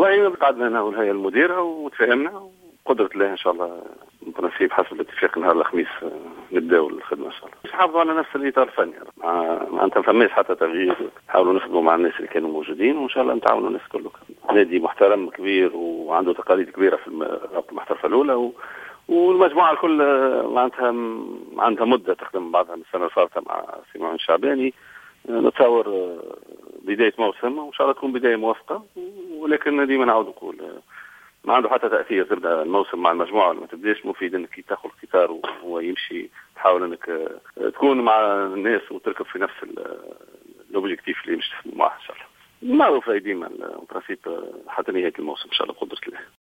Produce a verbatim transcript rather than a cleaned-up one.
والله قعدنا انا والهيئة المديرة وتفاهمنا، وقدرة الله ان شاء الله principe حسب الاتفاق نهار الخميس نبداو الخدمة ان شاء الله. نحافظوا على نفس الاطار الفني، معناتها ما فماش حتى تغيير، نحاولوا نخدموا مع الناس اللي كانوا موجودين وان شاء الله نتعاونوا الناس الكل. نادي محترم كبير وعنده تقاليد كبيرة في الرابطة المحترفه الاولى و... والمجموعة الكل معناتها عندها مده تخدم بعضها من السنة الفارطه مع سي معين الشعباني. نتصور بداية موسم وان شاء الله تكون بداية موفقه، ولكن ديما نعاود نقول ما عنده حتى تاثير تبدا الموسم مع المجموعة ولا ما تبداش. مفيد انك تاخذ القطار وهو يمشي، تحاول انك تكون مع الناس وتركب في نفس l'objectif اللي مش تخدموا معاه ان شاء الله. معروف ديما principe حتى نهاية الموسم ان شاء الله بقدره الله.